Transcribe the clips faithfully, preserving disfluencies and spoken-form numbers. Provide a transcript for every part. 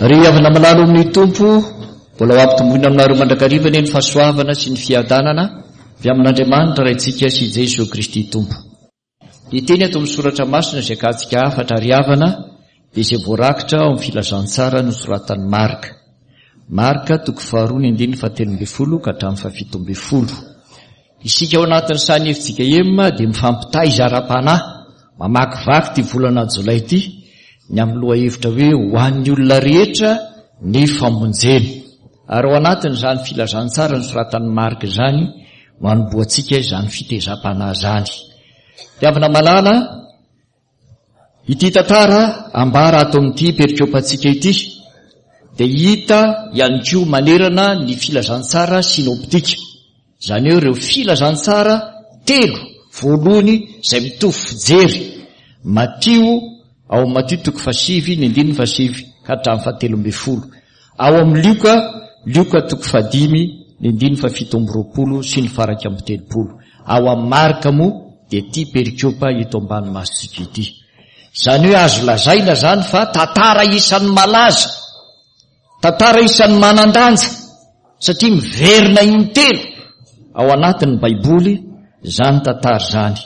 Ry havana malala amin'ny Tompo, mbola ho ampitomboina aminareo mandrakariva anie ny fahasoavana sy ny fiadanana avy amin'Andriamanitra Raintsika sy Jesoa Kristy Tompo. Ny teny ato amin'ny soratra masina izay akatsika hafatra ry havana dia izay voarakitra ao amin'ny filazantsara nosoratan'i Marka. Marka toko faharoa ny andininy fahatelo ambin'ny folo ka hatramin'ny fahafito ambin'ny folo. Isika ao anatin'ny sahan'ny F J K M dia mifampitaiza ara-panahy, mamakivaky ity volana jolay ity, ny amin'ny lohahevitra hoe ho an'ny olona rehetra ny famonjena. Ary ao anatin'izany filazantsara nosoratan'i Marka izany no hanombohantsika izany fitezam-panahy izany. Mpihavana malala, ity tantara ambara ato amin'ity perikopantsika ity dia hita ihany koa manerana ny filazantsara sinoptika. Izany hoe ireo filazantsara telo voalohany izay mitovy fijery. Matio, ao amin'ny Matio toko fahasivy, ny andininy fahasivy ka hatramin'ny fahatelo ambin'ny folo. Ao amin'ny Lioka, Lioka toko fahadimy, ny andininy fahafito amby roapolo sy ny faharaika amby telopolo. Ao amin'ny Marka moa dia ity perikopa eto ambany masontsika ity. Izany hoe azo lazaina izany fa tantara isan'ny malaza, tantara isan'ny manan-danja, satria miverina intelo ao anatin'ny Baiboly izany tantara izany.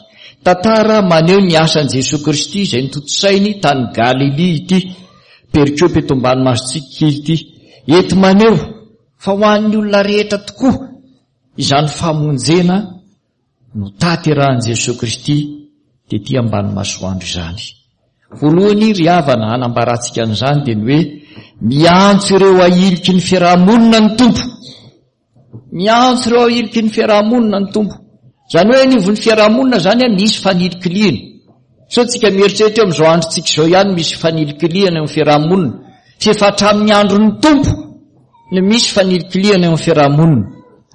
Tantara maneho ny asan'i Jesoa Kristy izay notontosainy tany Galilia ity perikopa eto ambany masontsika ity. Eto maneho fa ho an'ny olona rehetra tokoa izany famonjena no tanterahan'i Jesoa Kristy tety ambany masoandro izany. Voalohany ry havana hanambarantsika an'izany dia ny hoe miantso ireo ahiliky ny fiarahamonina ny Tompo. Miantso ireo ahiliky ny fiarahamonina ny Tompo. Izany hoe anivon'ny fiarahamonina izany a, misy fanilikilihana. Sao tsika mieritreritra eo amin'izao androntsika izao ihany misy fanilikilihana eo amin'ny fiarahamonina. Fa efa hatramin'ny andron'ny Tompo no misy fanilikilihana eo amin'ny fiarahamonina.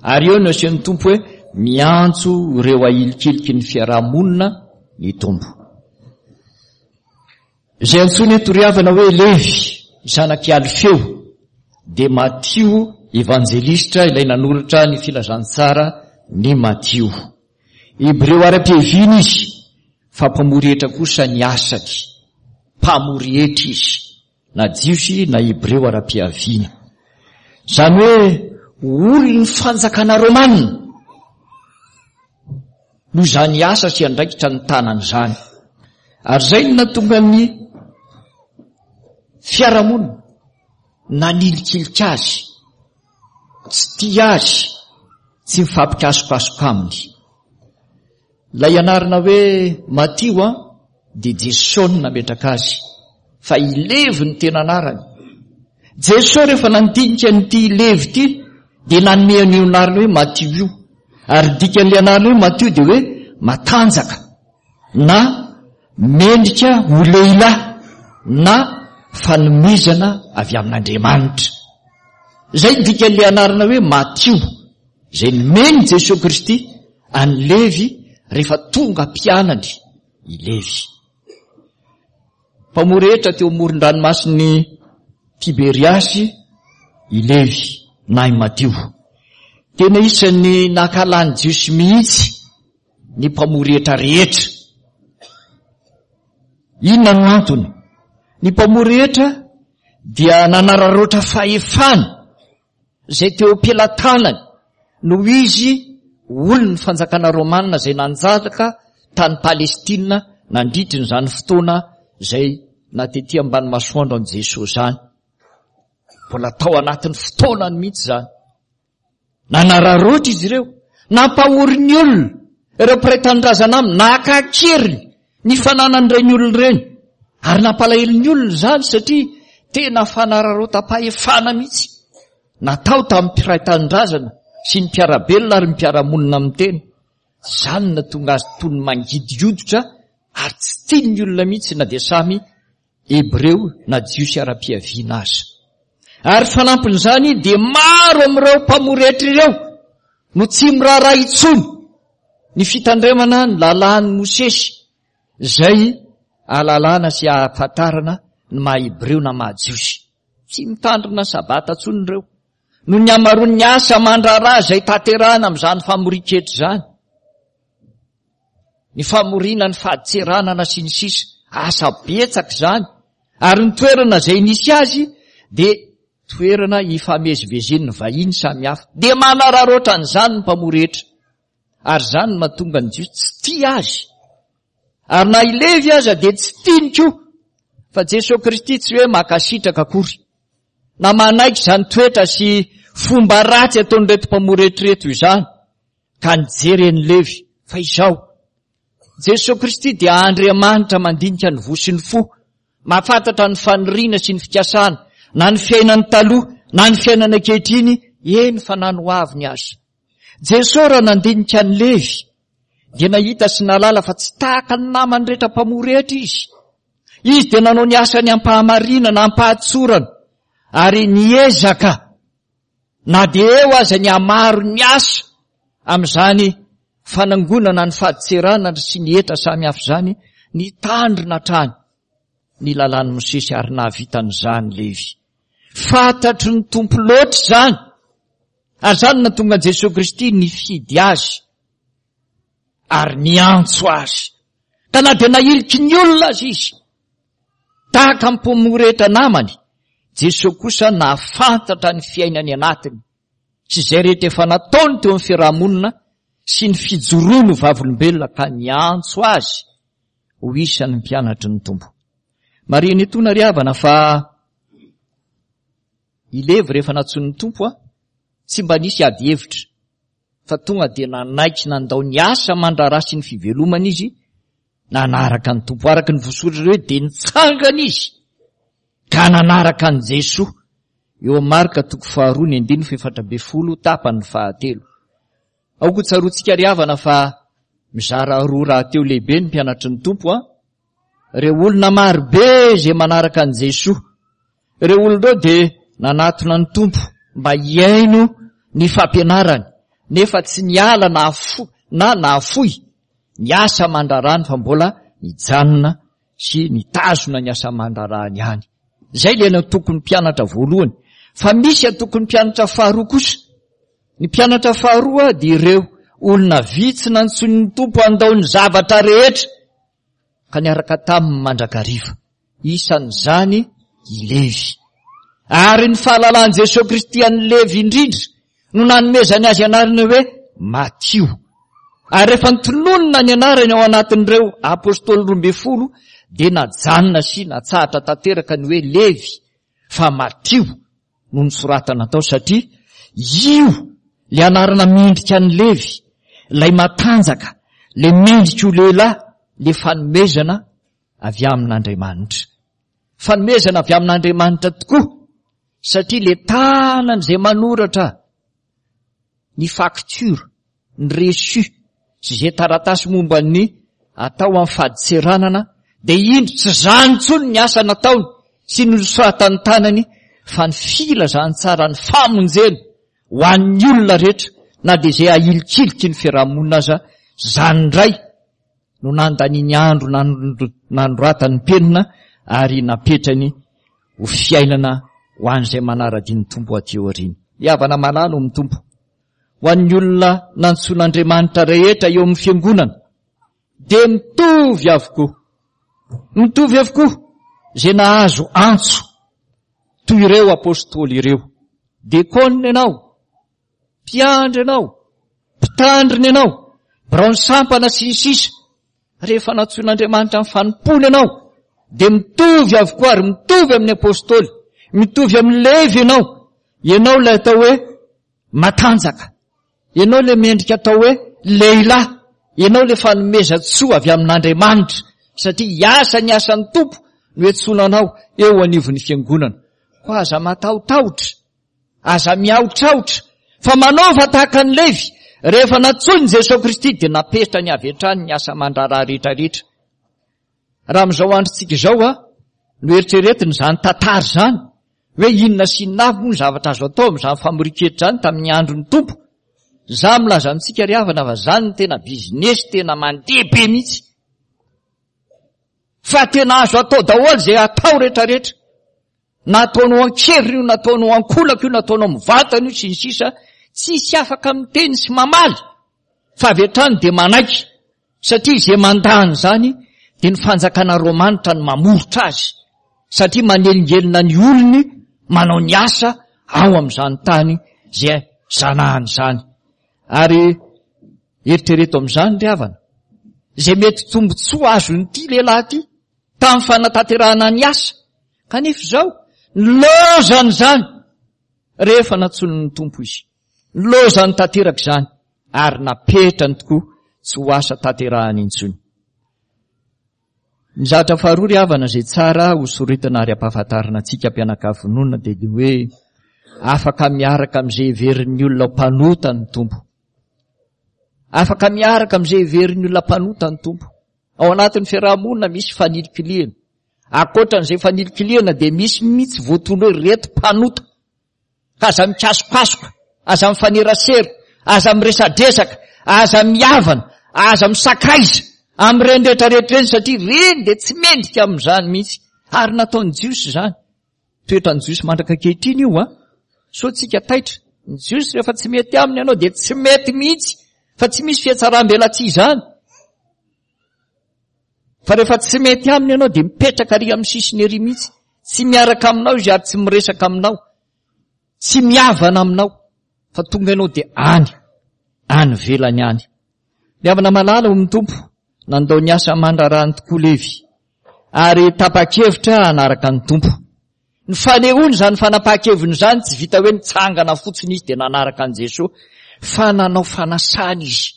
Ary eo no asehon'ny Tompo hoe miantso ireo ahilikiliky ny fiarahamonina ny Tompo. Izay antsoina eto ry havana hoe Levy, zanak'i Alfeo, dia Matio evanjelistra ilay nanoratra ny filazantsara ny Matio. Hebreo ara-piaviana izy, fa mpamory hetra kosa ny asany. Mpamory hetra izy, na Jiosy na Hebreo ara-piaviana. Izany hoe olon'ny fanjakana romanina noho izany asa sy andraikitra ny tanana izany. Ary izay no nahatonga ny fiarahamonina nanilikilika azy, tsy tia azy, tsy mifampikasokasoka aminy. Ilay anarana hoe Matio a dia Jesosy no nametraka azy, fa i Levy ny tena anarany. Jesosy rehefa nandinika an'ity Levy ity dia nanome an'io anarana hoe Matio io. Ary dikan'ilay anarana hoe Matio dia hoe matanjaka na mendrika ho lehilahy na fanomezana avy amin'Andriamanitra. Izay ny dikan'ilay anarana hoe Matio, izay nomen'i Jesoa Kristy an'i Levy rehefa tonga mpianany i Levy. Mpamory hetra teo amoron-dranomasin'i Tiberiasy i Levy na i Matio. Tena isan'ny nankahalan'ny Jiosy mihitsy ny mpamory hetra rehetra. Inona no antony? Ny mpamory hetra dia nanararaotra fahefana izay teo am-pelatanany noho izy olon'ny fanjakana romanina izay nanjaka tany Palestina nandritra izany fotoana izay natety ambany masoandro an'i Jesoa izany. Mbola tao anatin'ny fotoanany mihitsy izany. Nanararaotra izy ireo, nampahory ny olona, ireo mpiray tanindrazana aminy, naka an-keriny ny fananan'ireny olona ireny. Ary nampalahelo ny olona izany satria tena fanararaotam-pahefana mihitsy natao tamin'ny mpiray tanindrazana sy ny mpiara-belona ary ny mpiara-monina amin'ny tena. Izany no nahatonga azy toy ny mangidy hoditra ary tsy tian'ny olona mihitsy na dia samy Hebreo na Jiosy ara-piaviana aza. Ary fanampin'izany dia maro amin'ireo mpamory hetra ireo no tsy miraharaha intsony ny fitandremana ny lalàn'i Mosesy izay ahalalana sy ahafantarana ny maha Hebreo na maha Jiosy. Tsy mitandrina sabata intsony ireo noho ny hamaroan'ny asa aman-draharaha izay tanterahana amin'izany famorin-ketra izany. Ny famoriana ny fadintseranana sy ny sisa, asa betsaka izany. Ary ny toerana izay nisy azy dia toerana ifamezivezen'ny vahiny samihafa. Dia manararaotra an'izany ny mpamory hetra. Ary izany no mahatonga ny Jiosy tsy tia azy. Ary na i Levy aza dia tsy tiany koa. Fa Jesoa Kristy tsy hoe mankasitraka akory na manaiky izany toetra sy fomba ratsy ataon'ireto mpamory hetra ireto izany, ka nijery an'i Levy. Fa izao, Jesoa Kristy dia Andriamanitra mandinika ny voa sy ny fo, mahafantatra ny faniriana sy ny fikasana, na ny fiainany taloha, na ny fiainana ankehitriny, eny fa na ny ho aviny aza. Jesoa raha nandinika an'i Levy, dia nahita sy nahalala fa tsy tahaka ny namany rehetra mpamory hetra izy. Izy dia nanao ny asany am-pahamarinana, am-pahatsorana, ary niezaka na dia eo aza ny hamaron'ny asa amin'izany fanangonana ny fadintseranana sy ny hetra samihafa izany, nitandrina hatrany ny lalàn'i Mosesy ary nahavita an'izany Levy. Fantatry ny Tompo loatra izany, ary izany no nahatonga an'i Jesoa Kristy nifidy azy ary niantso azy. Ka na dia nahiliky ny olona aza izy, tahaka ny mpamory hetra namany, Jesoa kosa nahafantatra ny fiainany anatiny sy izay rehetra efa nataony teo amin'ny fiarahamonina sy ny fijoroany ho vavolombelona ka niantso azy ho isan'ny mpianatry ny Tompo. Marihina etoana ry havana fa i Levy rehefa nantsoin'ny Tompo a, tsy mba nisy ady hevitra fa tonga dia nanaiky nandao ny asa aman-draharaha sy ny fivelomana izy nanaraka ny Tompo. Araka ny voasoratra hoe dia nitsangana izy ka nanaraka an'i Jesoa. Eo amin'ny Marka toko faharoa ny andininy fahefatra ambin'ny folo tapany fahatelo. Aoka ho tsaroantsika ry havana fa mizara roa rahateo lehibe ny mpianatry ny Tompo a. Ireo olona marobe izay manaraka an'i Jesoa. Ireo olona ireo dia nanatona ny Tompo mba hihaino ny fampianarany, nefa tsy niala na na nahafoy ny asa aman-draharahany fa mbola nijanona sy nitazona ny asa aman-draharahany ihany. Izay ilay antokon'ny mpianatra voalohany. Fa misy antokon'ny mpianatra faharoa kosa. Ny mpianatra faharoa dia ireo olona vitsy nantsoin'ny Tompo handao ny zavatra rehetra ka niaraka taminy mandrakariva. Isan'izany i Levy. Ary ny fahalalan'i Jesoa Kristy an'i Levy indrindra no nanomezany azy anarana hoe Matio. Ary rehefa nitononina ny anarany ao anatin'ireo apôstôly roa ambin'ny folo dia najanona sy natsahatra tanteraka ny hoe Levy fa Matio no nosoratana tao, satria io le anarana mendrika an'i Levy, ilay matanjaka, le mendrika ho lehilahy, le fanomezana avy amin'Andriamanitra. Fanomezana avy amin'Andriamanitra tokoa, satria le tanany izay manoratra ny facture, ny reçu, sy izay taratasy momba ny atao amin'ny fadintseranana, dia indro tsy izany intsony ny asa nataony sy ny nosoratan'ny tanany, fa ny filazantsara ny famonjena ho an'ny olona rehetra, na dia izay ahilikiliky ny fiarahamonina aza, izany indray no nandaniany andro nanoratany penina ary napetrany ho fiainana ho an'izay manara-dia ny Tompo aty aoriana. Ny havana malala ao amin'ny Tompo, ho an'ny olona nantsoin'Andriamanitra rehetra eo amin'ny fiangonana, dia mitovy avokoa. Mitovy avokoa izay nahazo antso toy ireo apôstôly ireo. Dekônina ianao, mpiandry ianao, mpitandrina ianao, biraon'ny sampana sy ny sisa. Rehefa nantsoin'Andriamanitra amin'ny fanompoana ianao, dia mitovy avokoa ary mitovy amin'ny apôstôly, mitovy amin'ny Levy ianao. Ianao ilay atao hoe matanjaka, ianao ilay mendrika atao hoe lehilahy, ianao ilay fanomezan-tsoa avy amin'Andriamanitra, satria hiasa ny asan'ny Tompo no iantsoana anao eo anivon'ny fiangonana. Koa aza matahotahotra, aza miahotrahotra, fa manaova tahaka an'i Levy. Rehefa nantsoin'i Jesoa Kristy dia napetrany avy hatrany ny asa aman-draharaha rehetrarehetra. Raha amin'izao androntsika izao a, no eritreretina izany tantara izany, hoe inona sy inona avy moa ny zavatra azo atao amin'izany famorian-ketra izany tamin'ny andron'ny Tompo. Izaho milaza amintsika ry havana fa izany no tena bizinesy tena mandeha be mihitsy. Fa tena azo atao daholo izay atao rehetrarehetra. Na ataonao an-keriny io, na ataonao an-kolaka io, na ataonao mivantana io, sy ny sisa, tsisy afaka miteny sy mamaly, fa avy hatrany dia manaiky, satria izay mandà an'izany dia ny fanjakana romanitra no mamoritra azy, satria manelingelina ny olony manao ny asa ao amin'izany tany izay zanahany izany. Ary eritrereto amin'izany ry havana, izay mety tombontsoa azon'ity lehilahy ity tamin'ny fanatanterahana ny asa, kanefa izao nilozany izany rehefa nantsoin'ny Tompo izy. Nilozany tanteraka izany ary napetrany tokoa tsy ho asa tanterahany intsony. Ny zavatra faharoa ry havana izay tsara ho soritana ary ampahafantarina antsika mpianakavy finoana dia ny hoe afaka miaraka amin'izay heverin'ny olona ho mpanota ny Tompo. Afaka miaraka amin'izay heverin'ny olona mpanota ny Tompo. Ao anatin'ny fiarahamonina misy fanilikilihana. Ankoatran'izay fanilikilihana dia misy mihitsy voatondro hoe reto mpanota. Ka aza mikasokasoka, aza mifanerasera, aza miresadresaka, aza mihavana, aza misakaiza amin'ireny rehetrarehetra ireny, satria ireny dia tsy mendrika amin'izany mihitsy. Ary nataon'ny Jiosy izany. Toetran'ny Jiosy mandraka ankehitriny io, a. Sao tsika taitra. Ny Jiosy rehefa tsy mety aminy ianao dia tsy mety mihitsy, fa tsy misy fihatsaram-belatsihy izany. Fa rehefa tsy mety aminy ianao dia mipetraka ary amin'ny sisiny ery mihitsy. Tsy miaraka aminao izy ary tsy miresaka aminao. Tsy mihavana aminao. Fa tonga ianao dia any, any ivelany any. Mihavana malala ao amin'ny Tompo, nandao ny asa aman-draharahany tokoa Levy, ary tapa-kevitra hanaraka ny Tompo. Ny fanehoany izany fanapahan-keviny izany tsy vita hoe nitsangana fotsiny izy dia nanaraka an'i Jesoa, fa nanao fanasana izy.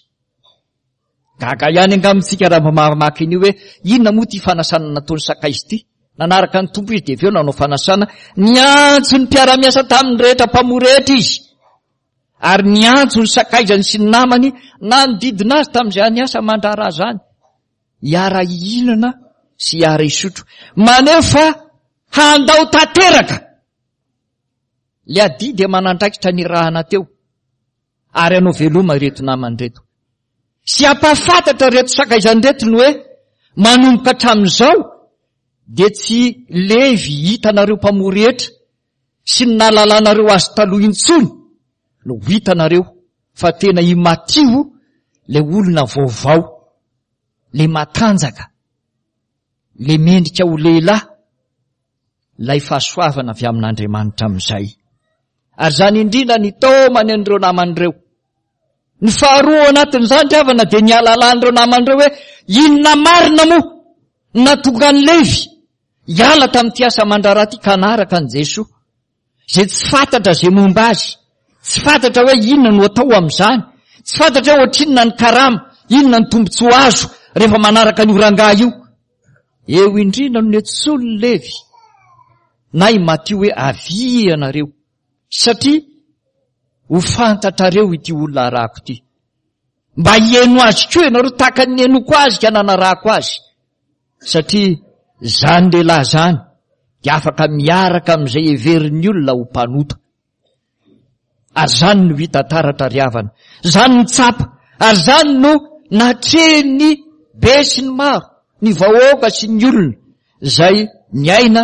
Gaga ihany angamba isika raha mba mamaky an'io hoe inona moa ity fanasana nataon'ny sakaiza ity. Nanaraka ny Tompo izy dia avy eo nanao fanasana, niantso ny mpiara-miasa taminy rehetra mpamory rehetra izy. Ary niantso ny sakaizany sy ny namany nanodidina azy tamin'izany asa aman-draharaha izany, hiara-hihinana sy hiara-hisotro. Maneho fa handao tanteraka. Ilay adidy aman'andraikitra nirahana teo, ary hanao veloma ireto namany ireto. Sy hampahafantatra ireto sakaizany ireto ny hoe manomboka hatramin'izao dia tsy Levy hitanareo mpamory hetra sy ny nahalalanareo azy taloha intsony no hitanareo, fa tena i Matio ilay olona vaovao, ilay matanjaka, ilay mendrika ho lehilahy, ilay fahasoavana avy amin'Andriamanitra amin'izay. Ary izany indrindra ny taomany an'ireo namany ireo. Ny faharoa ao anatin'izany ry havana dia ny halalan'ireo namany ireo hoe inona marina moa no nahatonga an'i Levy hiala tamin'ity asa aman-draharaha ity ka hanaraka an'i Jesoa, izay tsy fantatra izay momba azy, tsy fantatra hoe inona no atao amin'izany, tsy fantatra hoe ohatrinona ny karama, inona ny tombontsoa azo rehefa manaraka an'io rangahy io. Eo indrindra no niantsoan'i Levy na i Matio hoe avia ianareo, satria ho fantatrareo ity olona arahako ity. Mba hihaino azy koa ianareo tahaka ny nihainoako azy ka nanarahako azy, satria izany lehilahy izany dia afaka miaraka amin'izay heverin'ny olona ho mpanota. Ary izany no hita taratra ry havana, izany no tsapa, ary izany no natrehin'ny be sy ny maro, ny vahoaka sy ny olona izay niaina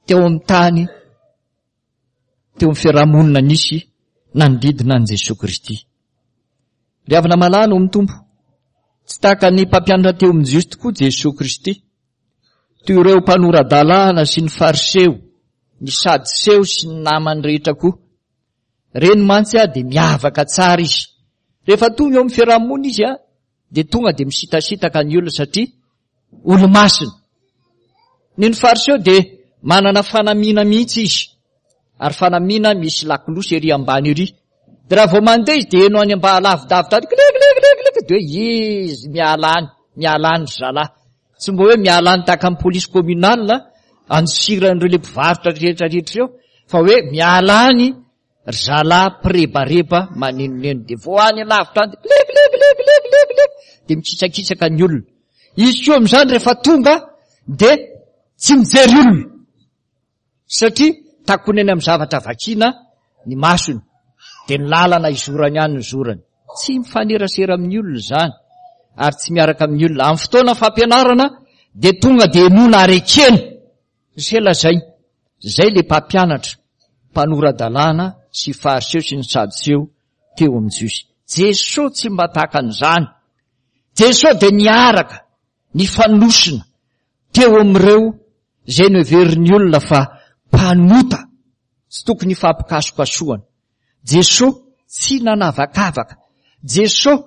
teo amin'ny tany, teo amin'ny fiarahamonina nisy nanodidina an'i Jesoa Kristy. Ry havana malala ao amin'ny Tompo, tsy tahaka ny mpampianatra teo amin'ny Jiosy tokoa Jesoa Kristy, toy ireo mpanora-dalàna sy ny Fariseo, ny Sadoseo sy ny namany rehetra koa. Ireny mantsy dia miavaka tsara izy. Rehefa tonga eo amin'ny fiarahamonina izy dia tonga dia misitasitaka ny olona satria olo-masina. Ny ny Fariseo dia manana fanamiana mihitsy izy, ary fanamiana misy lakolosy ery ambany ery. Dia raha vao mandeha izy dia heno any ambany lavidavitra any, klik, klik, klik, klik, dia hoe izy miala any, miala any ry zalahy. Tsy mba hoe miala any tahaka ny polisy communale andosiran'ireo le mpivarotra rehetra rehetra ireo, fa hoe miala any ry zalahy mpirebareba manenoneno. Dia vao any lavitra any dia klik, klik, klik, klik, klik, klik, dia mikitsakitsaka ny olona. Izy koa amin'izany rehefa tonga dia tsy mijery olona, satria takonany amin'ny zavatra vakiana ny masony, dia ny lalana izorany ihany no zorany. Tsy mifanerasera amin'ny olona izany, ary tsy miaraka amin'ny olona. Amin'ny fotoana fampianarana dia tonga dia henoina ary ekena. Izay lazay, izay ilay mpampianatra, mpanora-dalàna sy Fariseo sy ny Sadoseo teo amin'ny Jiosy. Jesoa tsy mba tahaka an'izany. Jesoa dia niaraka, nifanosona teo amin'ireo izay noheverin'ny olona fa mpanota. Tsy tokony hifampikasokasohana. Jesoa tsy nanavakavaka. Jesoa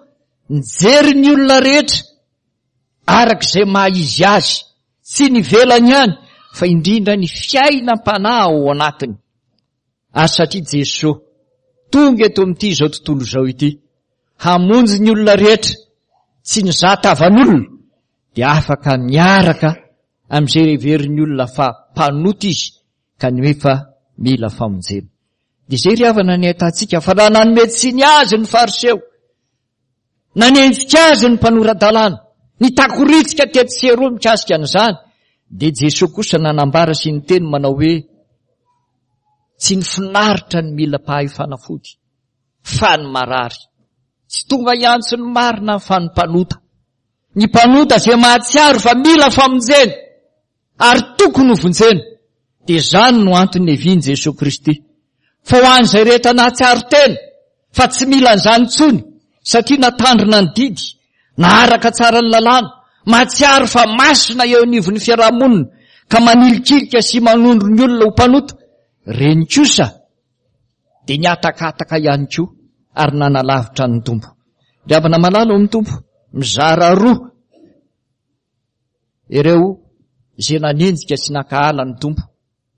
nijery ny olona rehetra araka izay maha izy azy, tsy ny ivelany ihany fa indrindra ny fiainam-panahy ao anatiny. Ary satria Jesoa tonga eto amin'ity izao tontolo izao ity hamonjy ny olona rehetra, tsy nizaha tavan'olona, dia afaka miaraka amin'izay heverin'ny olona fa mpanota izy kanefa mila famonjena. Dia izay ry havana ny ahitantsika fa raha nanome tsiny azy ny Fariseo, nanenjika azy ny mpanora-dalàna, nitakoritsika tetsy sy eroa mikasika an'izany, dia Jesoa kosa nanambara sy niteny manao hoe tsy ny finaritra ny mila mpahay fanafody fa ny marary. Tsy tonga hiantso ny marina fa ny mpanota. Ny mpanota izay mahatsiaro fa mila famonjena ary tokony ho vonjena. Dia izany no antony niavian'i Jesoa Kristy. Fa ho an'izay rehetra nahatsiaro tena fa tsy mila an'izany intsony satria natandrina ny didy, naharaka tsara ny lalàna, mahatsiaro fa masina eo anivon'ny fiarahamonina ka manilikilika sy manondro ny olona ho mpanota, reny kosa dia nihatakataka ihany koa ary nanalavitra ny Tompo. Ry havana malala ao amin'ny Tompo, mizara roa ireo izay nanenjika sy nankahala ny Tompo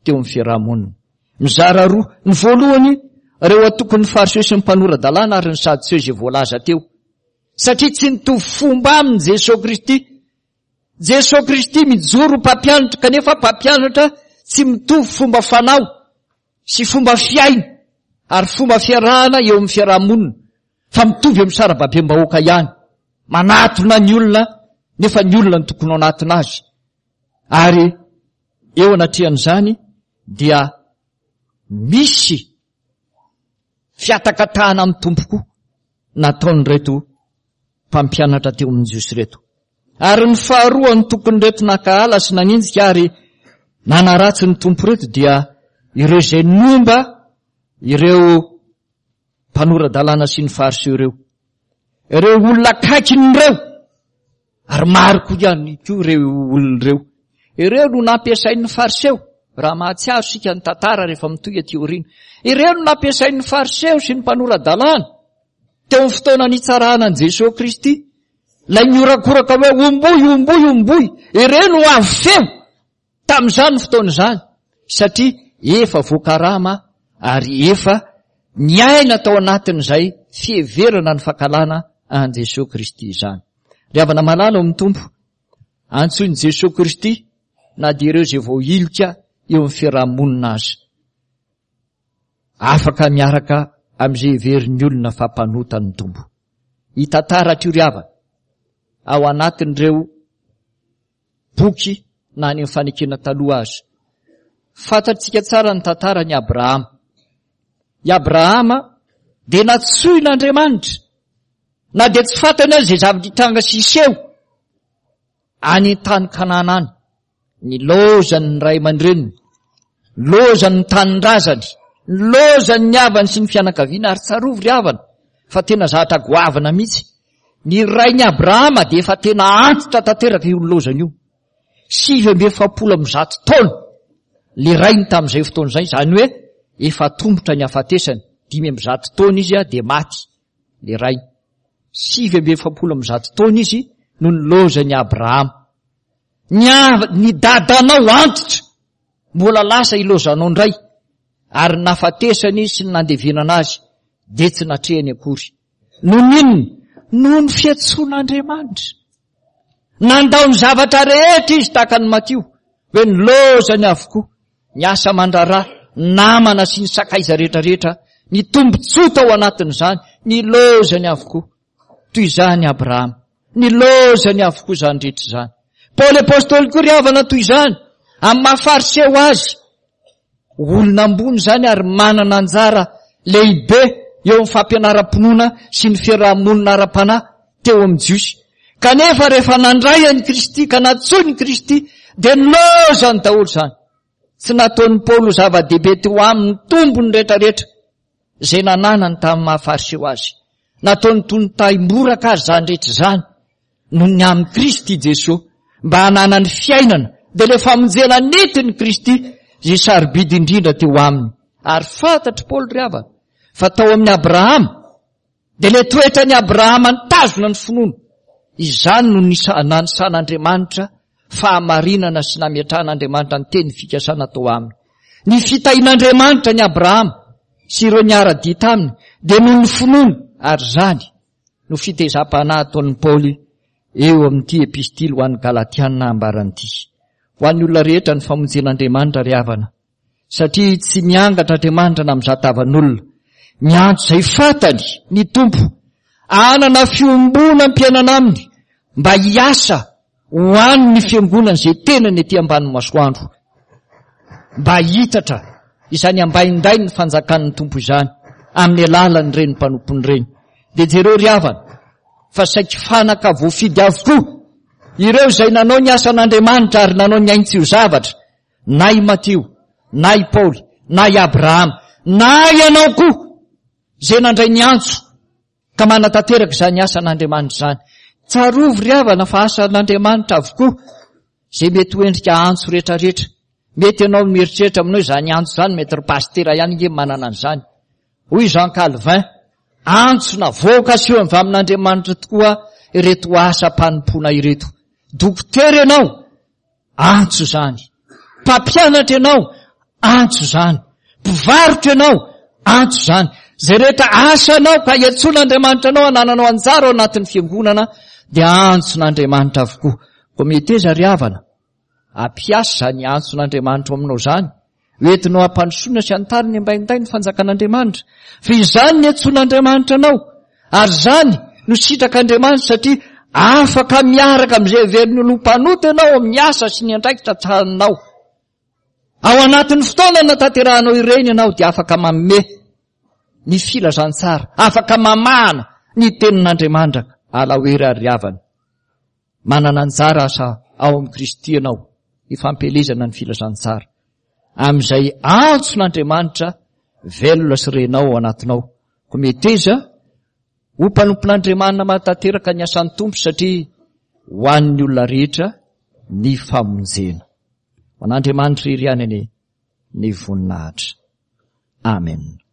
teo amin'ny fiarahamonina. Mizara roa. Ny voalohany, ireo antokon'ny Fariseo sy ny mpanora-dalàna ary ny Sadoseo izay voalaza teo. Satria tsy nitovy fomba aminy Jesoa Kristy. Jesoa Kristy mijoro mpampianatra kanefa mpampianatra tsy mitovy fomba fanao sy fomba fiaina ary fomba fiarahana eo amin'ny fiarahamonina fa mitovy amin'ny sarababem-bahoaka ihany. Manatona ny olona nefa ny olona no tokony hanatona azy. Ary eo anatrehan'izany dia misy fiatakatahana amin'ny Tompo koa nataon'ireto mpampianatra teo amin'ny Jiosy ireto. Ary ny faharoa ny tompon'ireto nankahala sy nanenjika ary nanaratsy ny Tompo ireto dia ireo izay nomba ireo mpanora-dalàna sy ny Fariseo ireo. Ireo olona akaikin'ireo, ary maro koa ihany koa ireo olona ireo. Ireo no nampiasain'ny Fariseo, raha mahatsiaro isika ny tantara rehefa mitohy aty aoriana. Ireo no nampiasain'ny Fariseo sy ny mpanora-dalàna teo amin'ny fotoana nitsarana an'i Jesoa Kristy. Ilay niorakoraka hoe omboy, omboy, omboy. Ireo no avy feo tamin'izany fotoana izany, satria efa voakarama ary efa niaina tao anatin'izay fiheverana ny fankahalana an'i Jesoa Kristy izany. Ry havana malala ao amin'ny Tompo, antsoin'i Jesoa Kristy na dia ireo izay voahilika eo amin'ny fiarahamonina aza. Afaka miaraka amin'izay heverin'ny olona fa mpanota ny Tompo. Hitantara hatreo ry havana ao anatin'ireo boky na any amin'ny fanekena taloha aza. Fantatsika tsara ny tantaran'i Abrahama. I Abrahama dia nantsoin'Andriamanitra na dia tsy fantany aza izay zava-nitranga sy hiseho any an-tany Kanana any. Ny lozan'ny ray aman-dreniny, lozan'ny tanindrazany, lozan'ny havany sy ny fianakaviana. Ary tsarovy ry havana fa tena zavatra goavana mihitsy. Ny rain'i Abrahama dia efa tena antitra tanteraka io lozany io. Sivy amby efapolo amby zato taona le rainy tamin'izay fotoana izay, izany hoe efa tombotra ny hafatesany. Dimy amby zato taona izy dia maty le rainy. Sivy amby efapolo amby zato taona izy no nilozan'i Abrahama. Ny av-, ny dadanao antitra mbola lasa ilozanao indray, ary ny nafatesany sy ny nandevenana azy dia tsy natrehany akory. Noho ny inona? Noho ny fiantsoan'Andriamanitra. Nandao ny zavatra rehetra izy tahaka ny Matio, hoe nilozany avokoa ny asa aman-draharaha, namana sy ny sakaiza rehetrarehetra, ny tombontsoa tao anatin'izany, nilozany avokoa. Toy izany Abrahama, nilozany avokoa izany rehetra izany. Paoly apostoly koa ry havana toy izany, amin'ny maha Fariseo azy, olona ambony izany ary manana anjara lehibe eo amin'ny fampianaram-pinoana sy ny fiarahamonina ara-panahy teo amin'ny Jiosy. Kanefa rehefa nandray an'i Kristy ka nantsoin'i Kristy dia nilozany daholo izany. Tsy nataon'i Paoly ho zava-dehibe teo aminy tombony rehetrarehetra izay nananany tamin'ny maha Fariseo azy. Nataony toy ny tahim-boraka azy izany rehetra izany noho ny amin'i Kristy Jesoa, mba hananany fiainana, dia ilay famonjena nentin'i Kristy izay sarobidy indrindra teo aminy. Ary fantatr'i Paoly ry havana fa tao amin'i Abrahama dia ilay toetran'i Abrahama nitazona ny finoana. Izany no nanisan'Andriamanitra fahamarinana sy nametrahan'Andriamanitra ny teny fikasana tao aminy. Ny fitahian'Andriamanitra an'i Abrahama sy ireo niara-dia taminy dia noho ny finoany, ary izany no fitezam-panahy ataon'i Paoly eo amin'ity epistily ho an'ny Galatiana ambarany ity. Ho an'ny olona rehetra ny famonjen'Andriamanitra ry havana, satria tsy miangatra Andriamanitra na mizaha tavan'olona. Miantso izay fantany ny Tompo hanana fiombonam-piainana aminy mba hiasa ho an'ny fiangonana izay tenany ety ambanin'ny masoandro, mba hitatra izany ambaindain'ny fanjakan'ny Tompo izany amin'ny alalan'ireny mpanompony ireny. Dia jereo ry havana fa saiky fanaka voafidy avokoa ireo izay nanao ny asan'Andriamanitra ary nanao ny ainy tsy ho zavatra, na i Matio, na i Paoly, na i Abrahama, na ianao koa izay nandray ny antso ka manatanteraka izany asan'Andriamanitra izany. Tsarovy ry havana fa asan'Andriamanitra avokoa izay mety ho endrika antso rehetrarehetra. Mety ianao mieritreritra aminao izany antso izany, mety ry pasitera ihany nge manana an'izany. Hoy Jean Calvin, antso na vocation avy amin'Andriamanitra tokoa ireto asam-panompoana ireto. Dokotera ianao, antso izany. Mpampianatra ianao, antso izany. Mpivarotra ianao, antso izany. Izay rehetra asanao ka iantsoan'Andriamanitra anao hanananao anjara ao anatin'ny fiangonana dia antson'Andriamanitra avokoa. Koa meteza ry havana, ampiasa izany antson'Andriamanitra ao aminao izany, hoentinao hampandrosoana sy hanitariny ambainday ny fanjakan'Andriamanitra. Fa izany ny antsoan'Andriamanitra anao, ary izany no sitrak'Andriamanitra, satria afaka miaraka amin'izay heverin'ny olona ho mpanota ianao amin'ny asa sy ny andraikitra tsaninao. Ao anatin'ny fotoana natanterahanao ireny ianao dia afaka manome ny filazantsara, afaka mamahana ny tenin'Andriamanitra. Alaohery ary havana, manana anjara asa ao amin'i Kristy ianao hifampielezana ny filazantsara amin'izay antson'Andriamanitra velona sy renao ao anatinao. Koa meteza ho mpanompon'Andriamanitra mahatanteraka ny asan'ny Tompo, satria ho an'ny olona rehetra ny famonjena. Ho an'Andriamanitra irery ihany anie ny voninahitra. Amen.